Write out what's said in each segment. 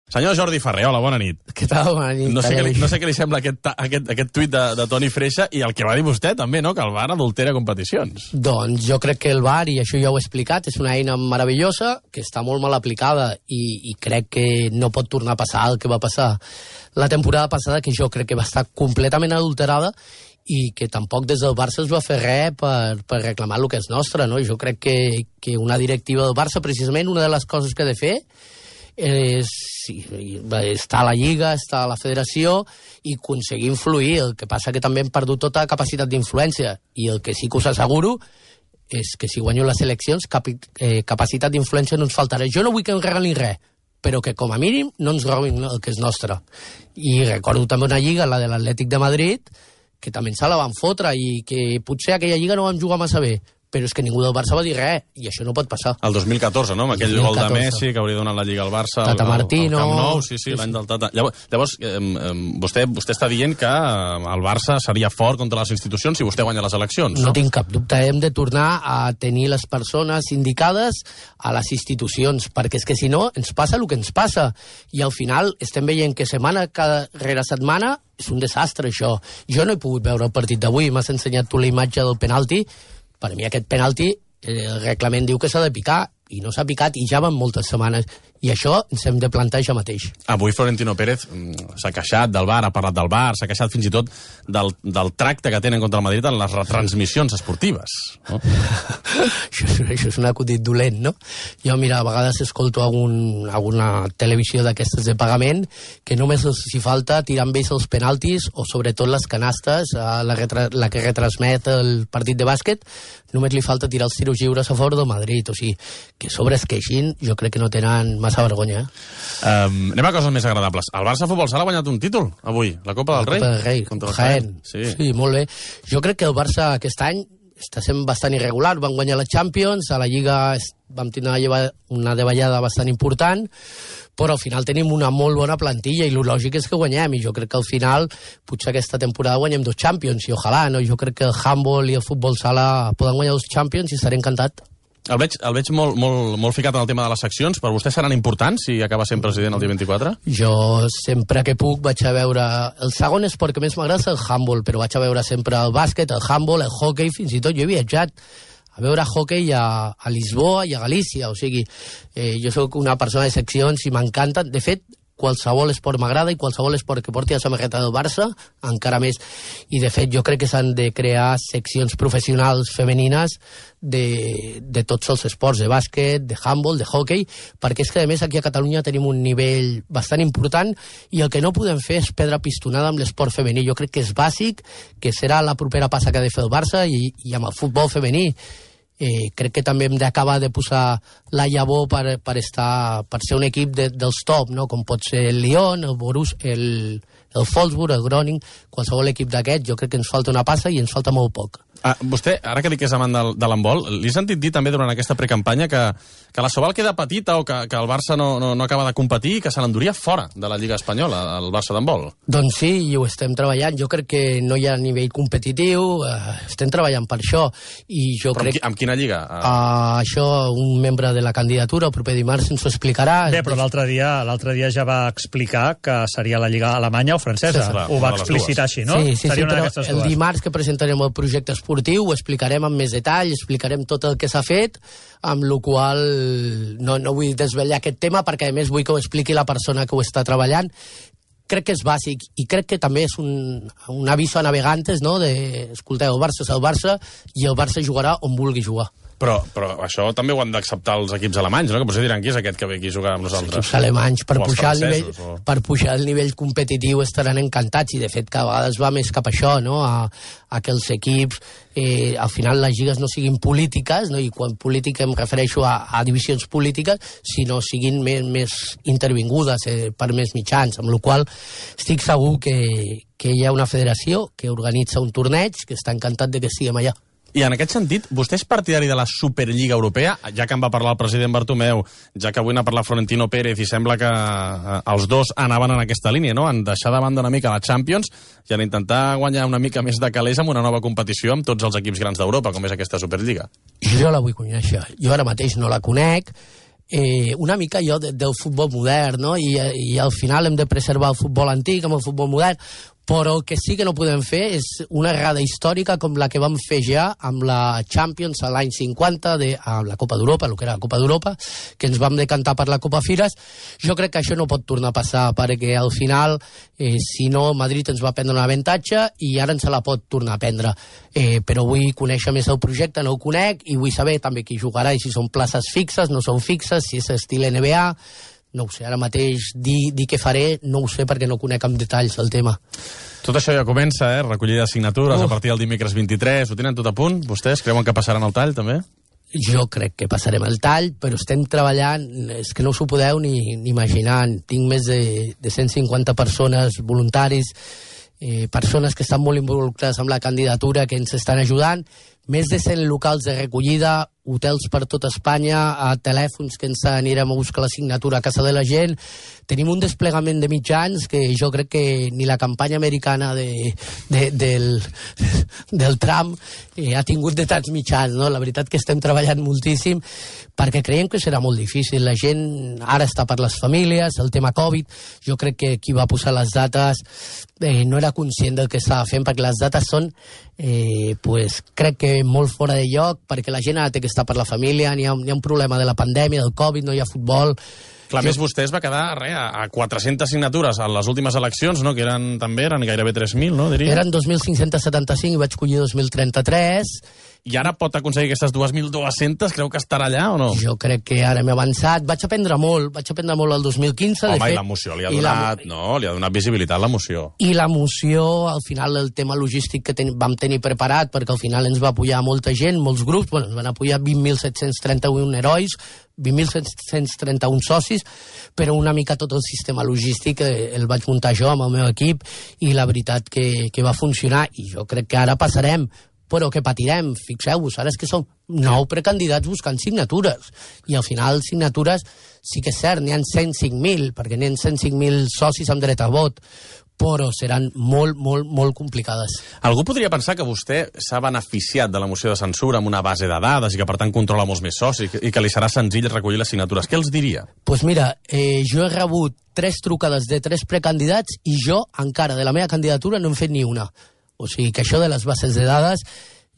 Senyor Jordi Ferrer, hola, bona nit. Què tal? Bona nit. No sé què li sembla aquest tuit de Toni Freixa i el que va dir vostè també, no?, que el VAR adultera competicions. Doncs jo crec que el VAR, i això ja ho he explicat, és una eina meravellosa que està molt mal aplicada i crec que no pot tornar a passar el que va passar la temporada passada, que jo crec que va estar completament adulterada i que tampoc des del Barça es va fer res per reclamar el que és nostre, no? Jo crec que una directiva del Barça, precisament, una de les coses que ha de fer està a la Lliga, està a la Federació i aconseguir influir. El que passa que també hem perdut tota capacitat d'influència i el que sí que us asseguro és que si guanyo les eleccions capacitat d'influència no ens faltarà. Jo no vull que ens regalin res, però que com a mínim no ens robin el que és nostre. I recordo també una Lliga, la de l'Atlètic de Madrid, que també se la van fotre i que potser aquella Lliga no vam jugar massa bé, però és que ningú del Barça va dir res, i això no pot passar. El 2014, no?, amb aquell gol de Messi que hauria donat la Lliga al Barça. Tata Martino. El Camp Nou, sí, l'any del Tata. Llavors, vostè està dient que el Barça seria fort contra les institucions si vostè guanya les eleccions, no? No tinc cap dubte, hem de tornar a tenir les persones indicades a les institucions, perquè és que si no ens passa el que ens passa, i al final estem veient que setmana rere setmana és un desastre, això. Jo no he pogut veure el partit d'avui, m'has ensenyat tu la imatge del penalti. Per mi aquest penalti, el reglament diu que s'ha de picar, i no s'ha picat, i ja van moltes setmanes. I això ens hem de plantar ja mateix. Avui Florentino Pérez s'ha queixat del VAR, ha parlat del VAR, s'ha queixat fins i tot del tracte que tenen contra el Madrid en les retransmissions esportives. No? Això és un acudit dolent, no? Jo, mira, a vegades escolto alguna televisió d'aquestes de pagament que només els hi falta tirar amb ells els penaltis o sobretot les canastes, la que retransmet el partit de bàsquet, només li falta tirar els tiros lliures a favor del Madrid. O sigui, que sobre es queixin, jo crec que no tenen massa vergonya. Anem a coses més agradables. El Barça Futbol Sala ha guanyat un títol avui, la Copa del Rei. La Copa del Rei, contra el Jaén. Sí, molt bé. Jo crec que el Barça aquest any està sent bastant irregular. Van guanyar la Champions, a la Lliga vam tenir una davallada bastant important, però al final tenim una molt bona plantilla i el lògic és que guanyem, i jo crec que al final potser aquesta temporada guanyem 2 Champions, i ojalà, no? Jo crec que el handball i el futbol sala poden guanyar 2 Champions i estaré encantat. El veig molt ficat en el tema de les seccions. Per vostè seran importants si acaba sent president el dia 24? Jo sempre que puc vaig a veure... El segon esport que més m'agrada és el handball, però vaig a veure sempre el bàsquet, el handball, el hockey, fins i tot jo he viatjat a veure hockey a Lisboa i a Galícia. O sigui, jo sóc una persona de seccions i m'encanten. De fet, qualsevol esport m'agrada i qualsevol esport que porti la samarreta del Barça, encara més. I, de fet, jo crec que s'han de crear seccions professionals femenines de tots els esports, de bàsquet, de handball, de hockey, perquè és que, a més, aquí a Catalunya tenim un nivell bastant important i el que no podem fer és perdre pistonada amb l'esport femení. Jo crec que és bàsic, que serà la propera passa que ha de fer el Barça i amb el futbol femení. Crec que també hem d'acabar de posar la llavor per ser un equip dels top, no? Com pot ser el Lyon, el Borussia, el Wolfsburg, el Groningen, qualsevol equip d'aquest. Jo crec que ens falta una passa i ens falta molt poc. Vostè, ara que dic que és amant de l'handbol, li he sentit dir també durant aquesta precampanya que la Sobal queda petita o que el Barça no acaba de competir i que se l'enduria fora de la Lliga Espanyola, el Barça d'handbol. Doncs sí, i ho estem treballant. Jo crec que no hi ha nivell competitiu, estem treballant per això. Però amb quina lliga? Això un membre de la candidatura el proper dimarts ens ho explicarà. Bé, però l'altre dia ja va explicar que seria la Lliga alemanya o francesa. Sí, ho va explicitar així, no? Sí, però el dimarts que presentarem el projecte esportiu ho explicarem amb més detall, explicarem tot el que s'ha fet, amb la qual no vull desvetllar aquest tema perquè a més vull que ho expliqui la persona que ho està treballant. Crec que és bàsic i crec que també és un aviso a navegantes, no? Escolteu, el Barça és el Barça i el Barça jugarà on vulgui jugar. Però això també ho han d'acceptar els equips alemanys, no? Que potser diran qui és aquest que ve aquí a jugar amb nosaltres. Els equips alemanys, per pujar el nivell competitiu estaran encantats, i de fet cada vegades va més cap a això, no? A que els equips al final les lligues no siguin polítiques, no? I quan política em refereixo a divisions polítiques, sinó siguin més intervingudes per més mitjans, amb la qual estic segur que hi ha una federació que organitza un torneig que està encantat de que siguem allà. I en aquest sentit, vostè és partidari de la Superliga Europea? Ja que en va parlar el president Bartomeu, ja que avui n'ha parlat Florentino Pérez, i sembla que els dos anaven en aquesta línia, no? En deixar de banda una mica la Champions i en intentar guanyar una mica més de calés amb una nova competició amb tots els equips grans d'Europa, com és aquesta Superliga. Jo la vull conèixer. Jo ara mateix no la conec. una mica allò del futbol modern, no? I al final hem de preservar el futbol antic amb el futbol modern, però el que sí que no podem fer és una errada històrica com la que vam fer ja amb la Champions a l'any 50, amb la Copa d'Europa, el que era la Copa d'Europa, que ens vam decantar per la Copa Fires. Jo crec que això no pot tornar a passar, perquè al final, si no, Madrid ens va prendre un avantatge i ara ens se la pot tornar a prendre. Però vull conèixer més el projecte, no ho conec, i vull saber també qui jugarà i si són places fixes, no són fixes, si és estil NBA. No ho sé, ara mateix dir què faré, no ho sé perquè no conec amb detalls el tema. Tot això ja comença, recollida de signatures a partir del dimecres 23. Ho tenen tot a punt? Vostès creuen que passaran el tall, també? Jo crec que passarem el tall, però estem treballant, és que no us ho podeu ni imaginar. Tinc més de 150 persones, voluntaris, persones que estan molt involucrades amb la candidatura, que ens estan ajudant, més de 100 locals de recollida, hotels per tot Espanya, a telèfons que ens anirem a buscar la signatura a casa de la gent. Tenim un desplegament de mitjans que jo crec que ni la campanya americana del Trump ha tingut de tants mitjans, no? La veritat que estem treballant moltíssim perquè creiem que serà molt difícil. La gent ara està per les famílies, el tema Covid. Jo crec que qui va posar les dates no era conscient del que estava fent, perquè les dates són, crec que molt fora de lloc, perquè la gent ara té que estar per la família, hi ha un problema de la pandèmia, del Covid, no hi ha futbol. Clar, més vostè es va quedar a 400 signatures a les últimes eleccions, no? Que eren gairebé 3.000, no? Diria. Eren 2.575 i vaig collir 2.033. I ara pot aconseguir aquestes 2.200? Creu que estarà allà o no? Jo crec que ara m'he avançat. Vaig aprendre molt el 2015. Home, de fet, i l'emoció li ha donat, li ha donat visibilitat l'emoció. I l'emoció, al final, el tema logístic que vam tenir preparat, perquè al final ens va apoyar molta gent, molts grups, ens van apoyar 20.731 herois, 20.731 socis, però una mica tot el sistema logístic el vaig muntar jo amb el meu equip i la veritat que va funcionar, i jo crec que ara passarem, però que patirem. Fixeu-vos, ara és que som 9 precandidats buscant signatures, i al final signatures sí que és cert, n'hi ha 105.000, perquè n'hi ha 105.000 socis amb dret a vot, però seran molt, molt, molt complicades. Algú podria pensar que vostè s'ha beneficiat de la moció de censura amb una base de dades i que, per tant, controla molts més socis i que li serà senzill recollir les signatures. Què els diria? Doncs mira, jo he rebut 3 trucades de 3 precandidats i jo, encara, de la meva candidatura, no hem fet ni una. O sigui, que això de les bases de dades,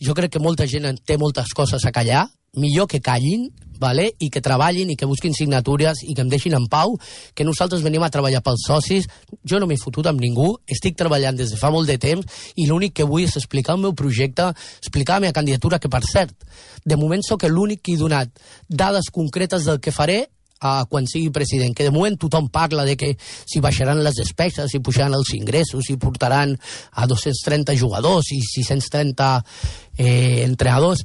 jo crec que molta gent té moltes coses a callar, millor que callin, vale? I que treballin i que busquin signatures i que em deixin en pau, que nosaltres venim a treballar pels socis. Jo no m'he fotut amb ningú, estic treballant des de fa molt de temps i l'únic que vull és explicar el meu projecte, explicar la meva candidatura, que per cert, de moment sóc l'únic que he donat dades concretes del que faré quan sigui president, que de moment tothom parla de que si baixaran les despeses, si pujaran els ingressos, si portaran a 230 jugadors i 630 entrenadors.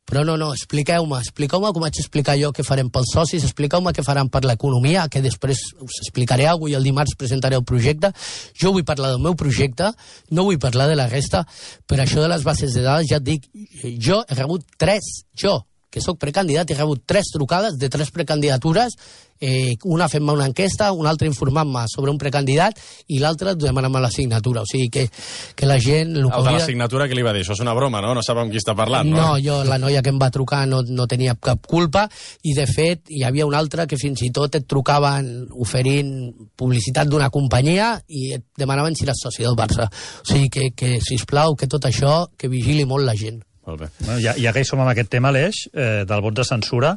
Però no, expliqueu-me com vaig explicar jo què farem pels socis, expliqueu-me què faran per l'economia, que després us explicaré alguna cosa i el dimarts presentaré el projecte. Jo vull parlar del meu projecte, no vull parlar de la resta, per això de les bases de dades ja et dic, jo he rebut 3, que sóc precandidat, he rebut 3 trucades de 3 precandidatures, una fent-me una enquesta, una altra informant-me sobre un precandidat i l'altra demanant-me la signatura. O sigui que la gent... El de la signatura, què li va dir? Això és una broma, no? No sap amb qui està parlant, no? No, la noia que em va trucar no tenia cap culpa i, de fet, hi havia una altra que fins i tot et trucaven oferint publicitat d'una companyia i et demanaven si eres soci del Barça. O sigui que sisplau, que tot això, que vigili molt la gent. Molt bé. Bueno, ja que hi som amb aquest tema, Aleix, del vot de censura,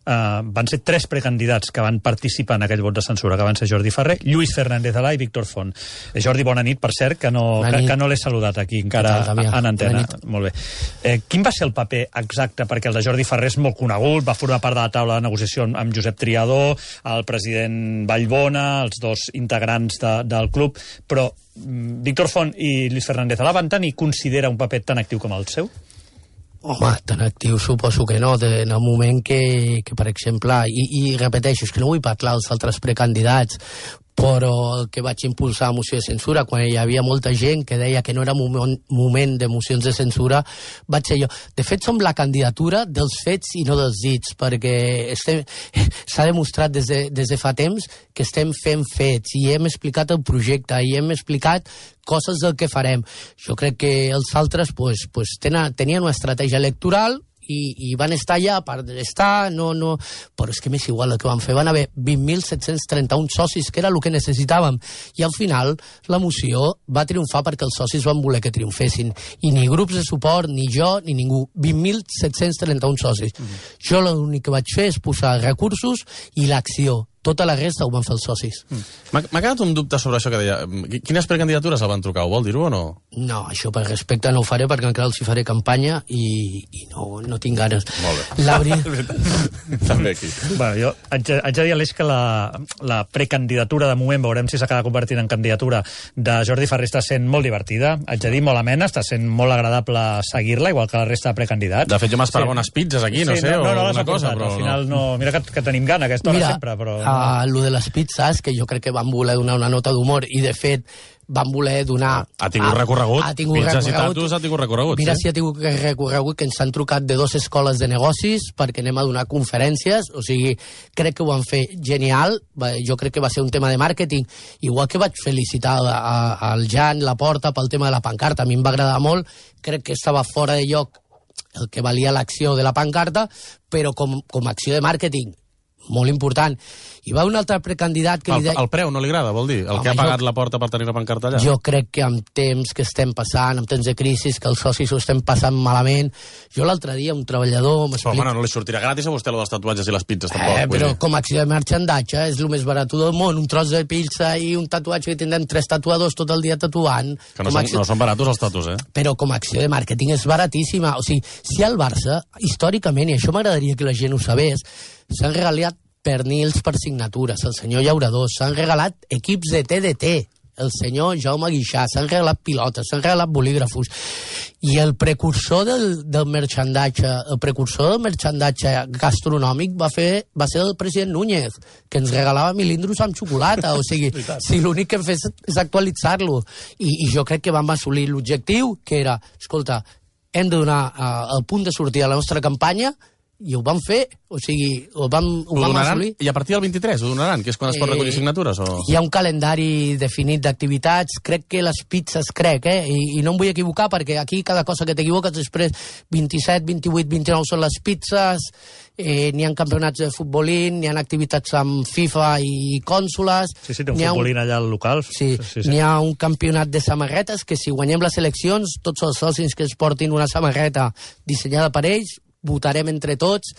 van ser 3 precandidats que van participar en aquell vot de censura, que van ser Jordi Ferrer, Lluís Fernández Alà i Víctor Font. Jordi, bona nit, per cert, que no l'he saludat aquí encara en antena. Molt bé. Quin va ser el paper exacte? Perquè el de Jordi Ferrer és molt conegut, va formar part de la taula de negociació amb Josep Triadó, el president Vallbona, els 2 integrants del club, però Víctor Font i Lluís Fernández Alà van tenir, considera, un paper tan actiu com el seu? Home, tan actiu suposo que no, en el moment que per exemple, i repeteixo, és que no vull parlar dels altres precandidats, però el que vaig impulsar a moció de censura, quan hi havia molta gent que deia que no era moment de mocions de censura, vaig ser jo. De fet, som la candidatura dels fets i no dels dits, perquè s'ha demostrat des de fa temps que estem fent fets i hem explicat el projecte i hem explicat coses del que farem. Jo crec que els altres tenien una estratègia electoral i van estar allà per estar, no... Però és que m'és igual el que van fer. Van haver 20.731 socis, que era el que necessitàvem. I al final la moció va triomfar perquè els socis van voler que triomfessin. I ni grups de suport, ni jo, ni ningú. 20.731 socis. Jo l'únic que vaig fer és posar recursos i l'acció. Tota la resta ho van fer els socis. M'ha quedat un dubte sobre això que deia. Quines precandidatures el van trucar? Ho vol dir-ho o no? No, això per respecte no ho faré perquè encara els hi faré campanya i no tinc ganes. Molt bé. També aquí. Bueno, jo haig de dir a l'Eix que la precandidatura de moment, veurem si s'acaba convertint en candidatura, de Jordi Farré està sent molt divertida, haig de dir molt amena, està sent molt agradable seguir-la, igual que la resta de precandidats. De fet, jo m'esperava unes pizzas aquí, no sé, o alguna cosa, però al final no. Mira que tenim gana a aquesta hora sempre, però... Lo de les pizzas, que jo crec que van voler donar una nota d'humor, i de fet van voler donar... Ha tingut recorregut. Pizzas i tatus ha tingut recorregut. Mira si ha tingut recorregut, que ens han trucat de 2 escoles de negocis perquè anem a donar conferències, o sigui, crec que ho van fer genial, jo crec que va ser un tema de màrqueting, igual que vaig felicitar al Jan Laporta pel tema de la pancarta, a mi em va agradar molt, crec que estava fora de lloc el que valia l'acció de la pancarta, però com a acció de màrqueting molt important. I va un altre precandidat que li deia... El preu no li agrada, vol dir? El que ha pagat la porta per tenir la pancarta allà? Jo crec que amb temps que estem passant, amb temps de crisi, que els socis ho estem passant malament... Jo l'altre dia, un treballador... Però, bueno, no li sortirà gratis a vostè lo dels tatuatges i les pizzas, tampoc. Però com a acció de marxandatge és el més barat del món. Un tros de pizza i un tatuatge que tindrem 3 tatuadors tot el dia tatuant. Que no són baratos els tatus, Però com a acció de màrqueting és baratíssima. O sigui, si al Barça, històricament, i això m'agradaria que la gent ho sabés, s'han regalat pernils per signatures, el senyor Llaurador, s'han regalat equips de TDT, el senyor Jaume Guixà, s'han regalat pilotes, s'han regalat bolígrafos, i el precursor del merchandatge gastronòmic va ser el president Núñez, que ens regalava milindros amb xocolata, o sigui, si l'únic que hem fet és actualitzar-lo, i jo crec que vam assolir l'objectiu, que era, escolta, hem de donar el punt de sortida a la nostra campanya, i ho vam fer, o sigui, ho vam assolir. I a partir del 23 ho donaran, que és quan es pot recollir signatures? Hi ha un calendari definit d'activitats, crec que les pizzas, i no em vull equivocar, perquè aquí cada cosa que t'equivoques després 27, 28, 29 són les pizzas, n'hi ha campionats de futbolín, n'hi ha activitats amb FIFA i cònsoles... Sí, té un futbolín allà al local. Sí. N'hi ha un campionat de samarretes, que si guanyem les eleccions, tots els socis que es portin una samarreta dissenyada per ells, votarem entre tots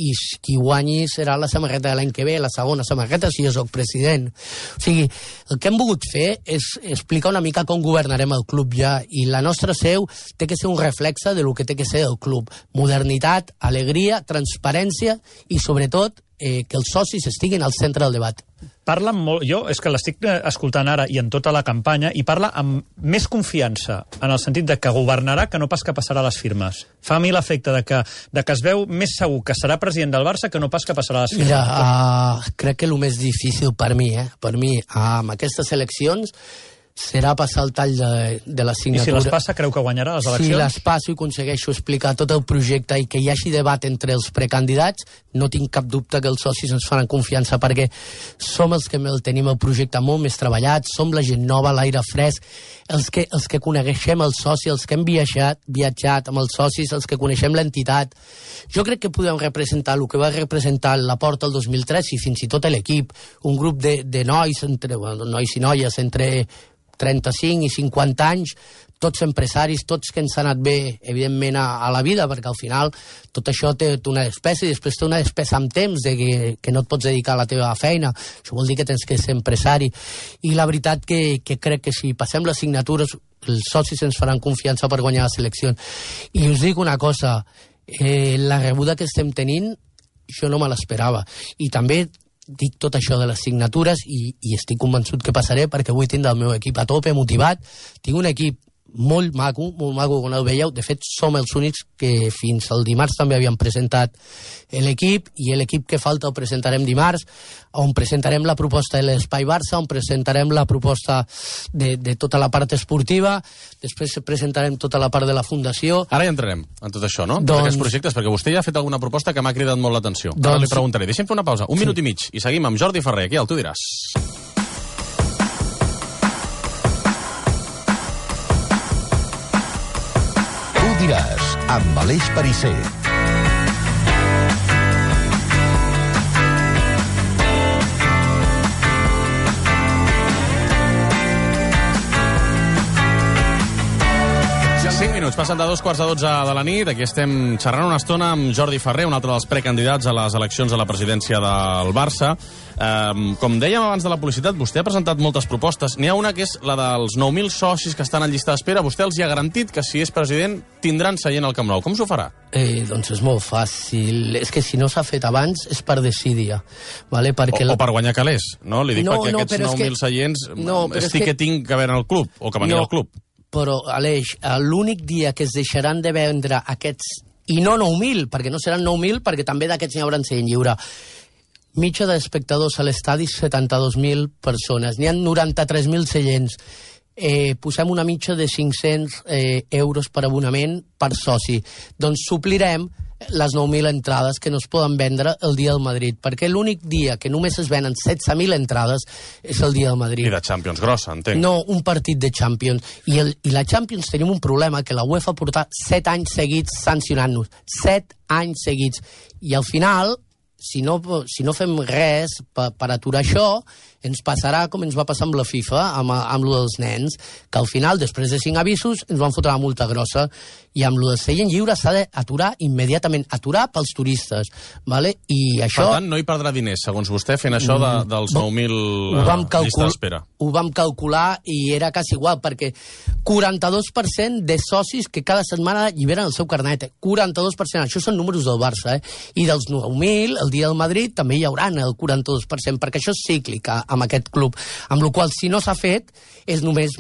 i qui guanyi serà la samarreta de l'any que ve, la segona samarreta, si jo soc president. O sigui, el que hem volgut fer és explicar una mica com governarem el club ja, i la nostra seu té que ser un reflexe de lo que té que ser el club. Modernitat, alegria, transparència i, sobretot, que els socis estiguin al centre del debat. Parla molt, jo és que l'estic escoltant ara i en tota la campanya, i parla amb més confiança, en el sentit de que governarà que no pas que passarà les firmes. Fa a mi l'efecte de que es veu més segur que serà president del Barça que no pas que passarà les firmes. Mira, crec que el més difícil per mi, amb aquestes eleccions, serà passar el tall de la signatura. I si les passa, creu que guanyarà les eleccions? Si les passo i aconsegueixo explicar tot el projecte i que hi hagi debat entre els precandidats, no tinc cap dubte que els socis ens faran confiança, perquè som els que tenim el projecte molt més treballat, som la gent nova, l'aire fresc, els que coneixem el soci, els que hem viatjat amb els socis, els que coneixem l'entitat. Jo crec que podem representar el que va representar la Porta el 2003 i fins i tot l'equip, un grup de nois, nois i noies, entre 35 i 50 anys, tots empresaris, tots que ens han anat bé, evidentment, a la vida, perquè al final tot això té una despesa i després té una despesa amb temps de que no et pots dedicar a la teva feina. Això vol dir que tens que ser empresari. I la veritat que crec que si passem les signatures, els socis ens faran confiança per guanyar les eleccions. I us dic una cosa, la rebuda que estem tenint, jo no me l'esperava. I també dic tot això de les signatures i estic convençut que passaré perquè vull tindre el meu equip a tope, motivat. Tinc un equip molt maco, quan el veieu. De fet, som els únics que fins al dimarts també havíem presentat l'equip, i l'equip que falta el presentarem dimarts, on presentarem la proposta de l'Espai Barça, on presentarem la proposta de tota la part esportiva, després presentarem tota la part de la fundació. Ara ja entrarem en tot això, no? Aquests projectes, perquè vostè ja ha fet alguna proposta que m'ha cridat molt l'atenció. Ara li preguntaré. Deixem fer una pausa, un minut i mig, i seguim amb Jordi Farré. Aquí, tu diràs. Diràs, amb Aleix Perisser. minuts, passen de 2:15 de la nit. Aquí estem xerrant una estona amb Jordi Ferrer, un altre dels precandidats a les eleccions a la presidència del Barça. Com dèiem abans de la publicitat, vostè ha presentat moltes propostes. N'hi ha una que és la dels 9.000 socis que estan en llista d'espera. Vostè els hi ha garantit que si és president tindran seient al Camp Nou. Com s'ho farà? Doncs és molt fàcil. És que si no s'ha fet abans és per desídia. Vale? Perquè o per guanyar calés, no? Li dic perquè aquests 9.000 seients estic que tinc que haver al club, o que venir al club. Però, Aleix, l'únic dia que es deixaran de vendre aquests, i no 9.000, perquè no seran 9.000, perquè també d'aquests n'hi haurà seient lliure. Mitja d'espectadors a l'estadi, 72.000 persones. N'hi ha 93.000 seients. Posem una mitja de 500 euros per abonament per soci. Doncs suplirem les 9.000 entrades que no es poden vendre el dia del Madrid, perquè l'únic dia que només es venen 16.000 entrades és el dia del Madrid. I de Champions grossa, entenc. No, un partit de Champions. I la Champions tenim un problema, que la UEFA porta 7 anys seguits sancionant-nos. 7 anys seguits. I al final, si no fem res per aturar això, ens passarà com ens va passar amb la FIFA, amb lo dels nens, que al final, després de 5 avisos, ens van fotre una multa grossa, i amb lo del seient lliure s'ha d'aturar immediatament, aturar pels turistes, vale? I això... Per tant, no hi perdrà diners, segons vostè, fent això dels 9.000 llistes d'espera. Ho vam calcular i era quasi igual, perquè 42% de socis que cada setmana lliberen el seu carnet. 42%, això són números del Barça, I dels 9.000, el dia del Madrid, també hi haurà el 42%, perquè això és cíclic amb aquest club. Amb la qual cosa, si no s'ha fet, és només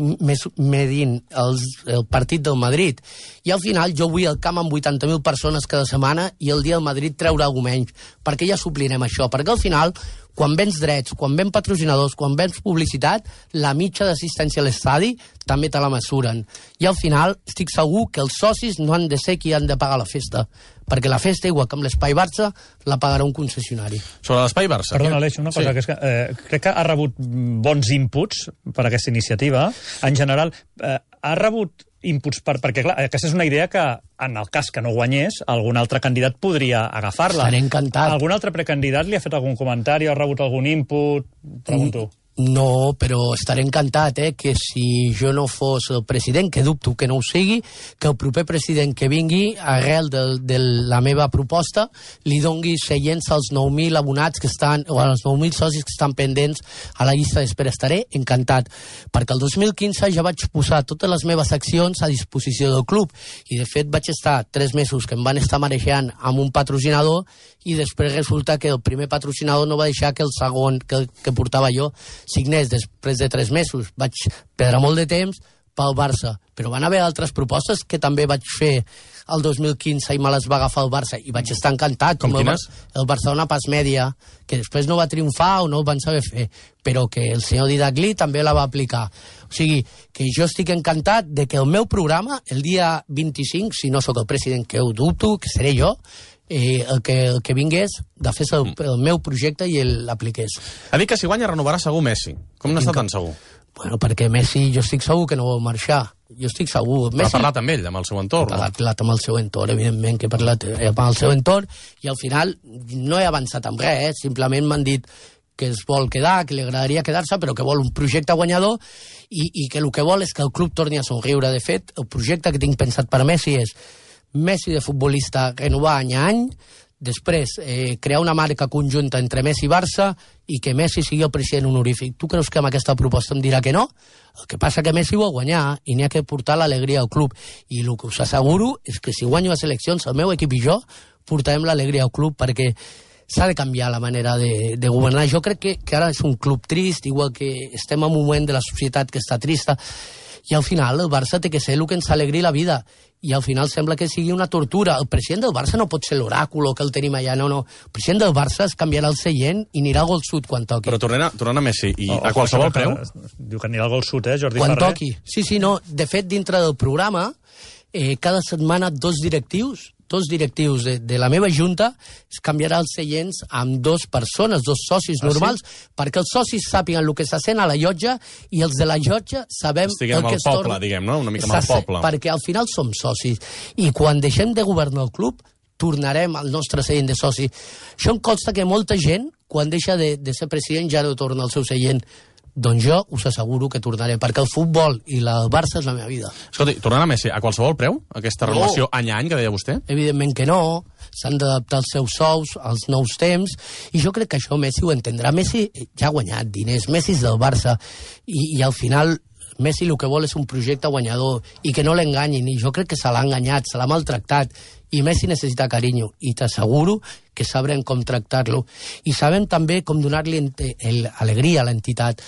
medint el partit del Madrid. I al final jo vull al camp amb 80.000 persones cada setmana i el dia del Madrid treure alguna menys, perquè ja suplirem això, perquè al final, quan vens drets, quan vens patrocinadors, quan vens publicitat, la mitja d'assistència a l'estadi també te la mesuren. I al final estic segur que els socis no han de ser qui han de pagar la festa, perquè la festa, igual que amb l'Espai Barça, la pagarà un concessionari. Sobre l'Espai Barça... Perdona, Aleix, una cosa, que és que crec que ha rebut bons inputs per aquesta iniciativa. En general, ha rebut inputs perquè, clar, aquesta és una idea que, en el cas que no guanyés, algun altre candidat podria agafar-la. Estaré encantat. Algun altre precandidat li ha fet algun comentari, ha rebut algun input? Pregunto. No, però estaré encantat, que si jo no fos el president, que dubto que no ho sigui, que el proper president que vingui, arrel de la meva proposta, li dongui seients als 9.000 abonats que estan, o als 9.000 socis que estan pendents a la llista d'espera. Estaré encantat, perquè el 2015 ja vaig posar totes les meves accions a disposició del club, i de fet vaig estar 3 mesos que em van estar marejant amb un patrocinador, i després resulta que el primer patrocinador no va deixar que el segon que portava jo signés després de 3 mesos. Vaig perdre molt de temps pel Barça, però van haver altres propostes que també vaig fer el 2015 i me les va agafar el Barça i vaig estar encantat. Com quines? El Barcelona Pas Mèdia, que després no va triomfar o no ho van saber fer, però que el senyor Didagli també la va aplicar. O sigui, que jo estic encantat de que el meu programa, el dia 25, si no sóc el president, que ho dubto, que seré jo, el que vingués de fer el meu projecte i l'apliqués. Ha dit que si guanya renovarà segur Messi. Com n'està tan segur? Bueno, perquè Messi jo estic segur que no vol marxar. Jo estic segur. Messi... Ha parlat amb ell, amb el seu entorn? Ha parlat amb el seu entorn, evidentment que he parlat amb el seu entorn, i al final no he avançat amb res, simplement m'han dit que es vol quedar, que li agradaria quedar-se, però que vol un projecte guanyador i que el que vol és que el club torni a somriure. De fet, el projecte que tinc pensat per Messi és Messi de futbolista renovar any a any, després crear una marca conjunta entre Messi i Barça i que Messi sigui el president honorífic. Tu creus que amb aquesta proposta em dirà que no? El que passa que Messi vol guanyar i n'hi ha que portar l'alegria al club. I el que us asseguro és que si guanyo les eleccions, el meu equip i jo portarem l'alegria al club, perquè s'ha de canviar la manera de governar. Jo crec que ara és un club trist, igual que estem en un moment de la societat que està trista, i al final el Barça té que ser el que ens alegri la vida, i al final sembla que sigui una tortura. El president del Barça no pot ser l'oràculo que el tenim allà, no. El president del Barça es canviarà el seient i anirà al gol sud quan toqui. Però tornant a Messi, i a qualsevol preu... Diu que anirà al gol sud, Jordi Ferrer? Quan toqui. Sí, no. De fet, dintre del programa, cada setmana dos directius de la meva junta es canviarà els seients amb 2 persones, 2 socis normals, perquè els socis sàpiguen el que se sent a la llotja i els de la llotja sabem el que es torna. Poble, diguem, no? Una mica amb el poble. Perquè al final som socis. I quan deixem de governar el club, tornarem al nostre seient de soci. Això em consta que molta gent, quan deixa de ser president, ja no torna al seu seient. doncs jo us asseguro que tornaré, perquè el futbol i el Barça és la meva vida. Escolti, tornant a Messi, a qualsevol preu, aquesta renovació any a any que deia vostè? Evidentment que no, s'han d'adaptar els seus sous als nous temps, i jo crec que això Messi ho entendrà. Messi ja ha guanyat diners, Messi és del Barça, i al final Messi el que vol és un projecte guanyador, i que no l'enganyin, i jo crec que se l'ha enganyat, se l'ha maltractat, i Messi necessita carinyo, i t'asseguro que sabrem com tractar-lo, i sabem també com donar-li alegria a l'entitat.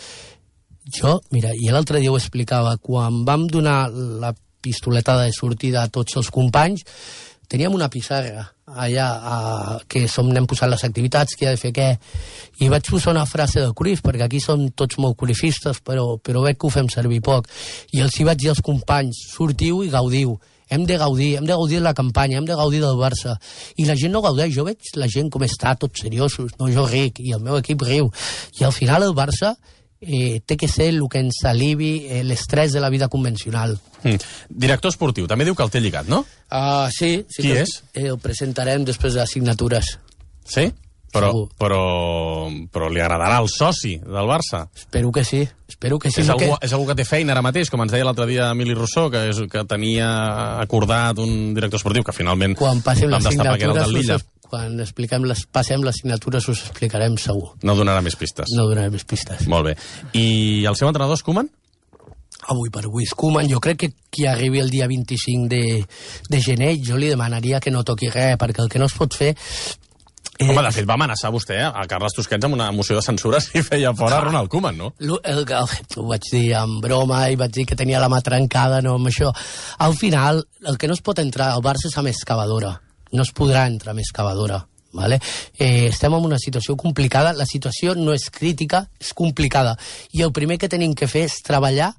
Jo, mira, i l'altre dia ho explicava, quan vam donar la pistoleta de sortida a tots els companys, teníem una pissarra allà que anem posant les activitats, qui ha de fer què, i vaig posar una frase de Cruyff, perquè aquí som tots molt cruyffistes, però veig que ho fem servir poc, i els hi vaig dir als companys, sortiu i gaudiu, hem de gaudir de la campanya, hem de gaudir del Barça, i la gent no gaudeix, jo veig la gent com està, tots seriosos, no, jo ric, i el meu equip riu, i al final el Barça té que ser el que ens alivi l'estrès de la vida convencional. Director esportiu, també diu que el té lligat, no? Sí. Qui és? El presentarem després de les signatures. Sí? Però li agradarà el soci del Barça? Espero que sí. És algú que té feina ara mateix, com ens deia l'altre dia Emili Rousseau, que tenia acordat un director esportiu, que finalment vam destapar que era el del Lilla. Quan passem les signatures us explicarem segur. No donarà més pistes. No donarà més pistes. Molt bé. I el seu entrenador és Koeman? Avui per avui és Koeman. Jo crec que qui arribi el dia 25 de gener, jo li demanaria que no toqui res, perquè el que no es pot fer... Home, de fet, va amenaçar vostè a Carles Tusquets amb una moció de censura si feia fora Ronald Koeman, no? Ho vaig dir en broma i vaig dir que tenia la mà trencada, no amb això. Al final, el que no es pot entrar al Barça és amb excavadora. No es podrà entrar amb excavadora. Vale? Estem en una situació complicada. La situació no és crítica, és complicada. I el primer que tenim que fer és treballar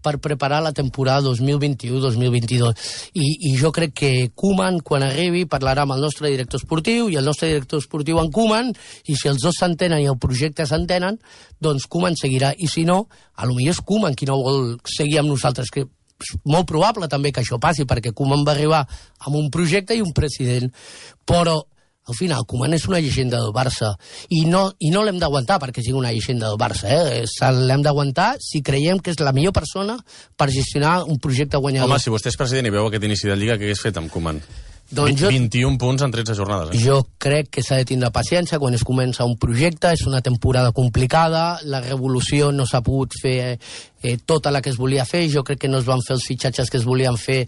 per preparar la temporada 2021-2022. I jo crec que Koeman, quan arribi, parlarà amb el nostre director esportiu i el nostre director esportiu en Koeman, i si els dos s'entenen i el projecte s'entenen, doncs Koeman seguirà. I si no, potser és Koeman qui no vol seguir amb nosaltres, que és molt probable també que això passi, perquè Koeman va arribar amb un projecte i un president. Però al final, Koeman és una llegenda del Barça i no l'hem d'aguantar perquè sigui una llegenda del Barça. L'hem d'aguantar si creiem que és la millor persona per gestionar un projecte guanyador. Home, si vostè és president i veu aquest inici de Lliga, què hagués fet amb Koeman? Doncs 21 punts en 13 jornades. Jo crec que s'ha de tindre paciència quan es comença un projecte, és una temporada complicada, la revolució no s'ha pogut fer tota la que es volia fer, jo crec que no es van fer els fitxatges que es volien fer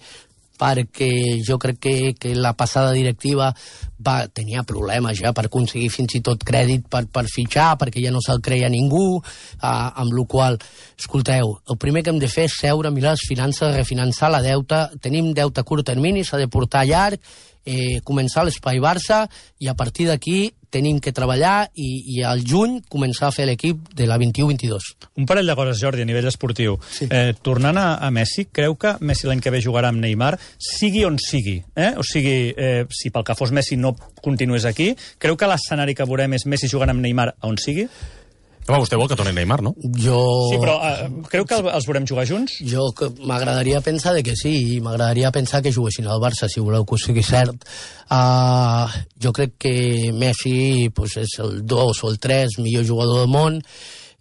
perquè jo crec que la passada directiva tenia problemes ja per aconseguir fins i tot crèdit per fitxar, perquè ja no se'l creia ningú, amb la qual cosa, escolteu, el primer que hem de fer és seure, mirar les finances, refinançar la deuta, tenim deute a curt termini, s'ha de portar a llarg, començar l'espai Barça, i a partir d'aquí tenim que treballar i al juny començar a fer l'equip de la 21-22. Un parell de coses, Jordi, a nivell esportiu. Sí. Tornant a Messi, creu que Messi l'any que ve jugarà amb Neymar, sigui on sigui? O sigui, si pel que fos Messi no continués aquí, creu que l'escenari que veurem és Messi jugant amb Neymar on sigui? Home, vostè vol que torni Neymar, no? Sí, però creu que els veurem jugar junts? Jo m'agradaria pensar que sí, i m'agradaria pensar que juguessin al Barça, si voleu que ho sigui cert. Jo crec que Messi és el 2 o el 3 millor jugador del món.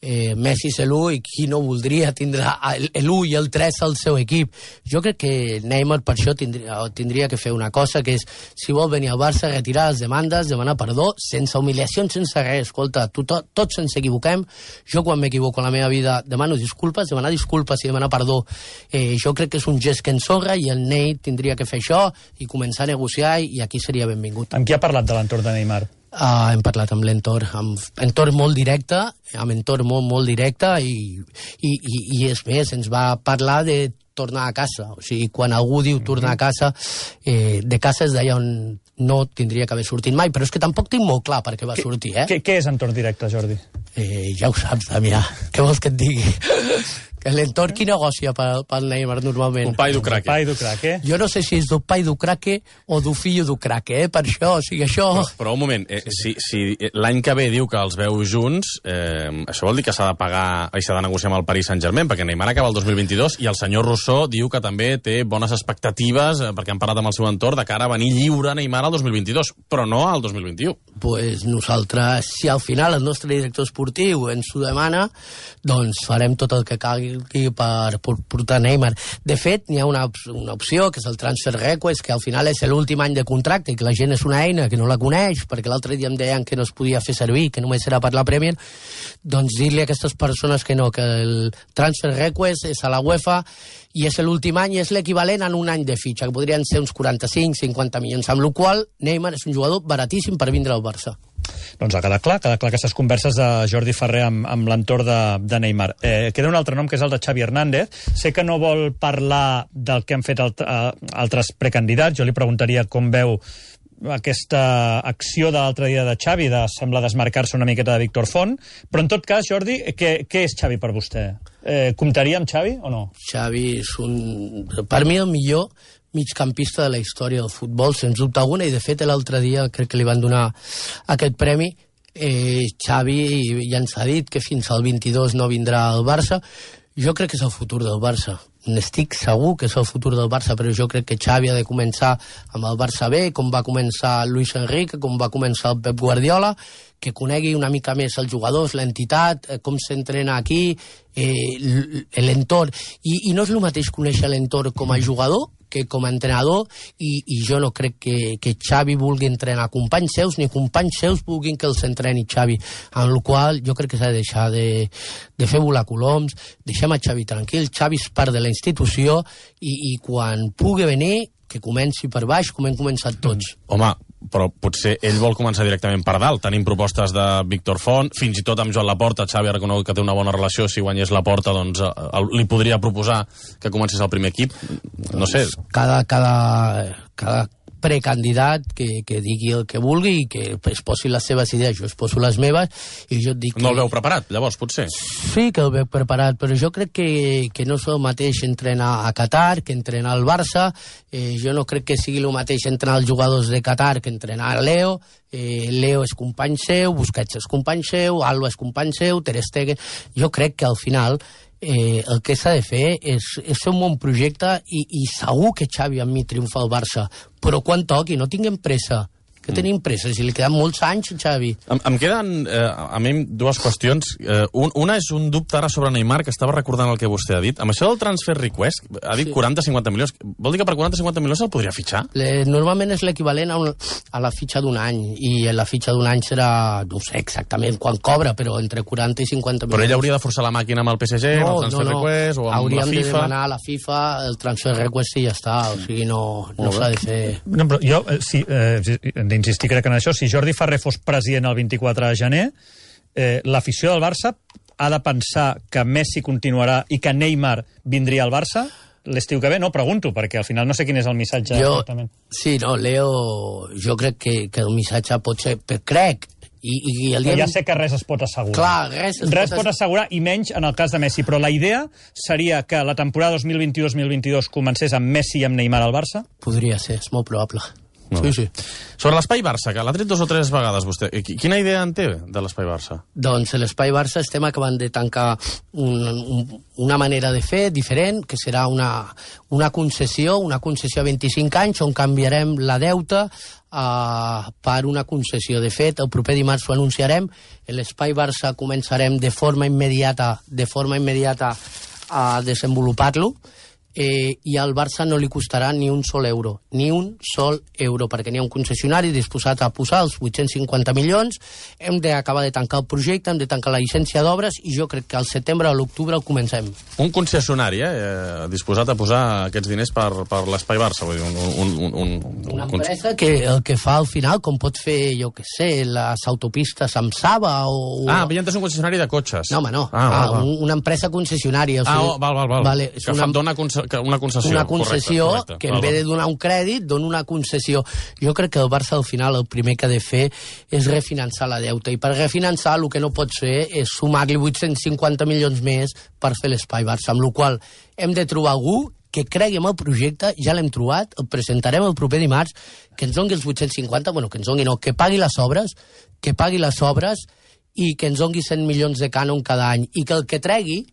Messi és l'1 i qui no voldria tindre l'1 i el 3 al seu equip. Jo crec que Neymar per això tindria que fer una cosa, que és, si vol venir al Barça, retirar les demandes, demanar perdó, sense humiliacions, sense res. Escolta, tots ens equivoquem. Jo quan m'equivoco a la meva vida demano disculpes, demanar disculpes i demanar perdó. Jo crec que és un gest que ens honra i el Ney tindria que fer això i començar a negociar, i aquí seria benvingut. Amb qui ha parlat de l'entorn de Neymar? Hem parlat amb l'entorn, amb entorn molt directe, molt directe, i és més, ens va parlar de tornar a casa. O sigui, quan algú diu tornar a casa, de casa és d'allà on no tindria que haver sortit mai, però és que tampoc tinc molt clar per què va sortir, Què és entorn directe, Jordi? Ja ho saps, Damià. Què vols que et digui? L'entorn qui negocia pel Neymar normalment? Un pai du craque. Pai du craque. Jo no sé si és du pai du craque o du fill du craque, per això, o sigui, això... Però un moment, si l'any que ve diu que els veu junts, això vol dir que s'ha de pagar i s'ha de negociar amb el Paris Saint-Germain, perquè Neymar acaba el 2022 i el senyor Rousseau diu que també té bones expectatives, perquè han parlat amb el seu entorn, de cara a venir lliure Neymar al 2022, però no al 2021. Pues nosaltres, si al final el nostre director esportiu ens ho demana, doncs farem tot el que calgui per portar Neymar. De fet, n'hi ha una opció, que és el transfer request, que al final és l'últim any de contracte i que la gent és una eina que no la coneix, perquè l'altre dia em deien que no es podia fer servir, que només era per la Premier, doncs dir-li a aquestes persones que no, que el transfer request és a la UEFA i és l'últim any i és l'equivalent a un any de fitxa, que podrien ser uns 45-50 milions, amb la qual Neymar és un jugador baratíssim per vindre al Barça. Doncs ha quedat clar aquestes converses de Jordi Ferrer amb l'entorn de Neymar. Queda un altre nom, que és el de Xavi Hernández. Sé que no vol parlar del que han fet altres precandidats. Jo li preguntaria com veu aquesta acció de l'altre dia de Xavi, sembla desmarcar-se una miqueta de Víctor Font, però en tot cas, Jordi, què és Xavi per vostè? Comptaria amb Xavi o no? Xavi és per mi el millor migcampista de la història del futbol, sens dubte alguna, i de fet l'altre dia crec que li van donar aquest premi. Xavi ja ens ha dit que fins al 22 no vindrà al Barça. Jo crec que és el futur del Barça. N'estic segur que és el futur del Barça, però jo crec que Xavi ha de començar amb el Barça B, com va començar Luis Enrique, com va començar el Pep Guardiola, que conegui una mica més els jugadors, l'entitat, com s'entrena aquí, l'entorn. I no és el mateix conèixer l'entorn com a jugador que com a entrenador, i jo no crec que Xavi vulgui entrenar companys seus, ni companys seus vulguin que els entreni Xavi, amb la qual jo crec que s'ha de deixar de fer volar coloms, deixem a Xavi tranquil, Xavi és part de la institució, i quan pugui venir, que comenci per baix, com hem començat tots. Home, però potser ell vol començar directament per dalt. Tenim propostes de Víctor Font, fins i tot amb Joan Laporta. Xavi ha reconegut que té una bona relació. Si guanyés Laporta, doncs li podria proposar que comencés el primer equip. No sé. Cada precandidat que digui el que vulgui i que es posi les seves idees, jo es poso les meves i jo et dic... No el veu preparat, llavors, potser? Sí que el veu preparat, però jo crec que no és el mateix entrenar a Qatar que entrenar al Barça. Jo no crec que sigui el mateix entrenar els jugadors de Qatar que entrenar a Leo. Leo és company seu, Busquets és company seu, Alba és company seu, Ter Stegen... Jo crec que al final el que s'ha de fer és fer un bon projecte i segur que Xavi amb mi triomfa al Barça, però quan toqui, no tinguem pressa, que tenim pressa, si li queden molts anys, Xavi. Em queden, a mi, dues qüestions. Una és un dubte ara sobre Neymar, que estava recordant el que vostè ha dit. Amb això del transfer request, ha dit 40-50 milions. Vol dir que per 40-50 milions se'l podria fitxar? Normalment és l'equivalent a la fitxa d'un any, i la fitxa d'un any serà, no sé exactament quan cobra, però entre 40 i 50 milions. Però ell hauria de forçar la màquina amb el PSG, amb el transfer request, o amb hauríem la FIFA? de demanar a la FIFA el transfer request i ja està, o sigui, no s'ha de fer... No, però jo, d'insistir crec en això, si Jordi Ferrer fos president el 24 de gener, l'afició del Barça ha de pensar que Messi continuarà i que Neymar vindria al Barça l'estiu que ve? No, pregunto, perquè al final no sé quin és el missatge exactament. Sí, no, Leo, jo crec que el missatge pot ser... Crec, ja sé que res es pot assegurar. Clar, res pot assegurar, i menys en el cas de Messi, però la idea seria que la temporada 2021-2022 comencés amb Messi i amb Neymar al Barça? Podria ser, és molt probable. Sí. Sobre l'espai Barça, que l'ha tret 2 o 3 vegades vostè, quina idea en té de l'espai Barça? Doncs l'espai Barça estem acabant de tancar una manera de fer diferent, que serà una concessió a 25 anys, on canviarem la deuta per una concessió. De fet, el proper dimarts ho anunciarem. L'espai Barça començarem de forma immediata a desenvolupar-lo, i al Barça no li costarà ni un sol euro, perquè n'hi ha un concessionari disposat a posar els 850 milions, hem d'acabar de tancar el projecte, hem de tancar la llicència d'obres, i jo crec que al setembre o a l'octubre el comencem. Un concessionari, disposat a posar aquests diners per l'espai Barça, vull dir, una empresa que el que fa al final, com pot fer, jo què sé, les autopistes amb Saba o... havia entès un concessionari de cotxes. No, home, no. Una empresa concessionària. Val. Vale, que dona una concessió. Una concessió, correcte. que en vez de donar un crèdit, dona una concessió. Jo crec que el Barça, al final, el primer que ha de fer és refinançar la deuta. I per refinançar, el que no pots fer és sumar-li 850 milions més per fer l'Espai Barça, amb la qual hem de trobar algú que cregui en el projecte, ja l'hem trobat, el presentarem el proper dimarts, que ens doni els 850, bueno, que ens doni no, que pagui les obres i que ens doni 100 milions de cànon cada any, i que el que tregui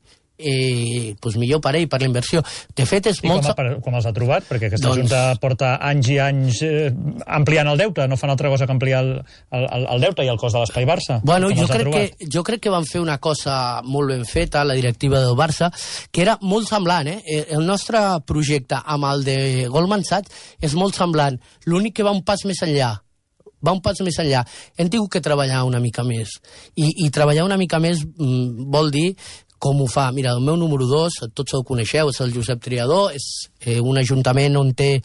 doncs millor per ell, per la inversió. De fet, és molt... Com els ha trobat? Perquè aquesta Junta porta anys i anys ampliant el deute, no fan altra cosa que ampliar el deute i el cost de l'Espai Barça. Bueno, jo crec que van fer una cosa molt ben feta, la directiva del Barça, que era molt semblant, El nostre projecte amb el de Goldman Sachs és molt semblant. L'únic que va un pas més enllà. Hem tingut que treballar una mica més. I treballar una mica més vol dir com ho fa. Mira, el meu número 2, tots el coneixeu, és el Josep Triador, és un ajuntament on té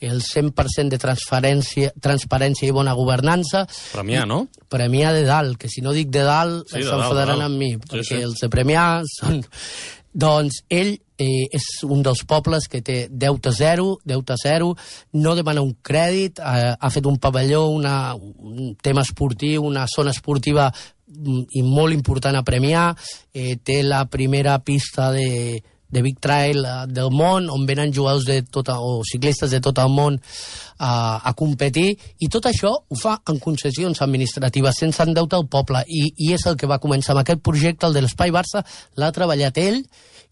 el 100% de transparència i bona governança. Premià, no? Premià de dalt, que si no dic de dalt s'enfadaran amb mi, perquè els de Premià són... Doncs ell és un dels pobles que té deute zero, no demana un crèdit, ha fet un pavelló, un tema esportiu, una zona esportiva i molt important a Premià, té la primera pista de Big Trail del món, on venen jugadors o ciclistes de tot el món a competir, i tot això ho fa en concessions administratives, sense endeutar el poble, i és el que va començar amb aquest projecte, el de l'Espai Barça, l'ha treballat ell,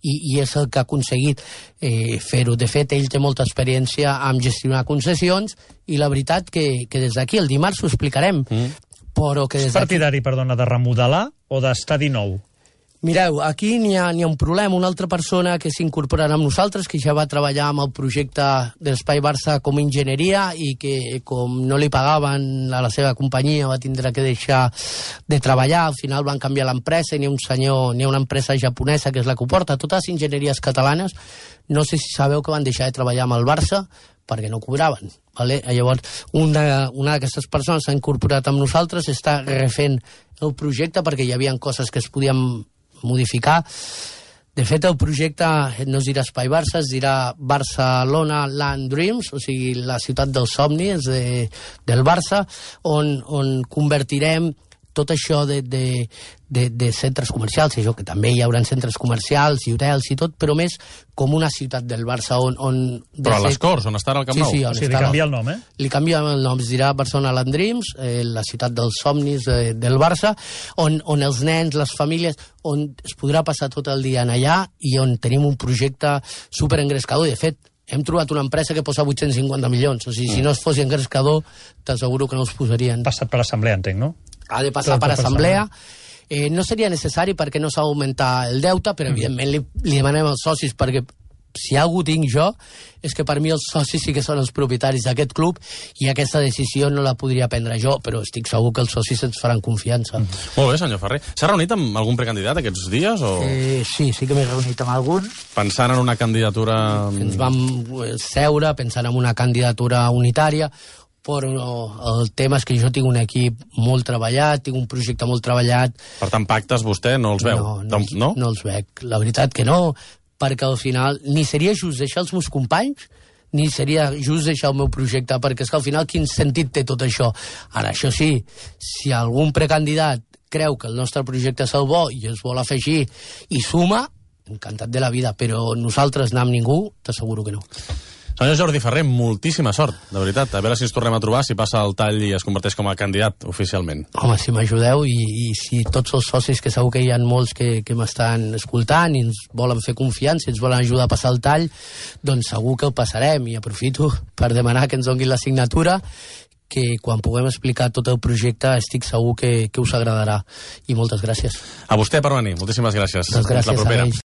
i és el que ha aconseguit fer-ho. De fet, ell té molta experiència en gestionar concessions, i la veritat que des d'aquí, el dimarts ho explicarem, però que des d'aquí... És partidari, perdona, de remodelar o d'estadi nou? Mireu, aquí n'hi ha un problema. Una altra persona que s'incorporarà amb nosaltres, que ja va treballar amb el projecte de l'Espai Barça com a enginyeria i que, com no li pagaven a la seva companyia, va tindre que deixar de treballar. Al final van canviar l'empresa i n'hi ha una empresa japonesa que és la que ho porta. Totes les enginyeries catalanes, no sé si sabeu que van deixar de treballar amb el Barça perquè no cobraven. Vale? Llavors, una d'aquestes persones s'ha incorporat amb nosaltres, està refent el projecte perquè hi havia coses que es podien modificar. De fet, el projecte no es dirà Espai Barça, es dirà Barcelona Land Dreams, o sigui, la ciutat dels somnis del Barça, on convertirem tot això de centres comercials, això que també hi haurà centres comercials i hotels i tot, però més com una ciutat del Barça Però a les Corts, on està el Camp Nou? Sí, li canvia el nom, Li canvia el nom, es dirà Barcelona Land Dreams, la ciutat dels somnis del Barça, on els nens, les famílies, on es podrà passar tot el dia allà i on tenim un projecte superengrescador. De fet, hem trobat una empresa que posa 850 milions. O sigui, si no es fos engrescador, t'asseguro que no els posarien. Passat per assemblea, entenc, no? Ha de passar per assemblea. No seria necessari perquè no s'ha d'augmentar el deute, però evidentment li demanem als socis, perquè si algú tinc jo, és que per mi els socis sí que són els propietaris d'aquest club i aquesta decisió no la podria prendre jo, però estic segur que els socis ens faran confiança. Molt bé, senyor Ferrer. S'ha reunit amb algun precandidat aquests dies? O... Sí que m'he reunit amb algun. Pensant en una candidatura... Ens vam seure pensant en una candidatura unitària, però el tema és que jo tinc un equip molt treballat, tinc un projecte molt treballat. Per tant, pactes vostè no els veu? No els veig. La veritat que no, perquè al final ni seria just deixar els meus companys, ni seria just deixar el meu projecte, perquè és que al final quin sentit té tot això? Ara, això sí, si algun precandidat creu que el nostre projecte és el bo i es vol afegir i suma, encantat de la vida, però nosaltres anar amb ningú, t'asseguro que no. Senyor Jordi Ferrer, moltíssima sort, de veritat. A veure si ens tornem a trobar, si passa el tall i es converteix com a candidat oficialment. Home, si m'ajudeu i si tots els socis, que segur que hi ha molts que m'estan escoltant i ens volen fer confiança, ens volen ajudar a passar el tall, doncs segur que el passarem. I aprofito per demanar que ens donin la signatura, que quan puguem explicar tot el projecte estic segur que us agradarà. I moltes gràcies. A vostè per venir. Moltíssimes gràcies. Moltes gràcies a ells.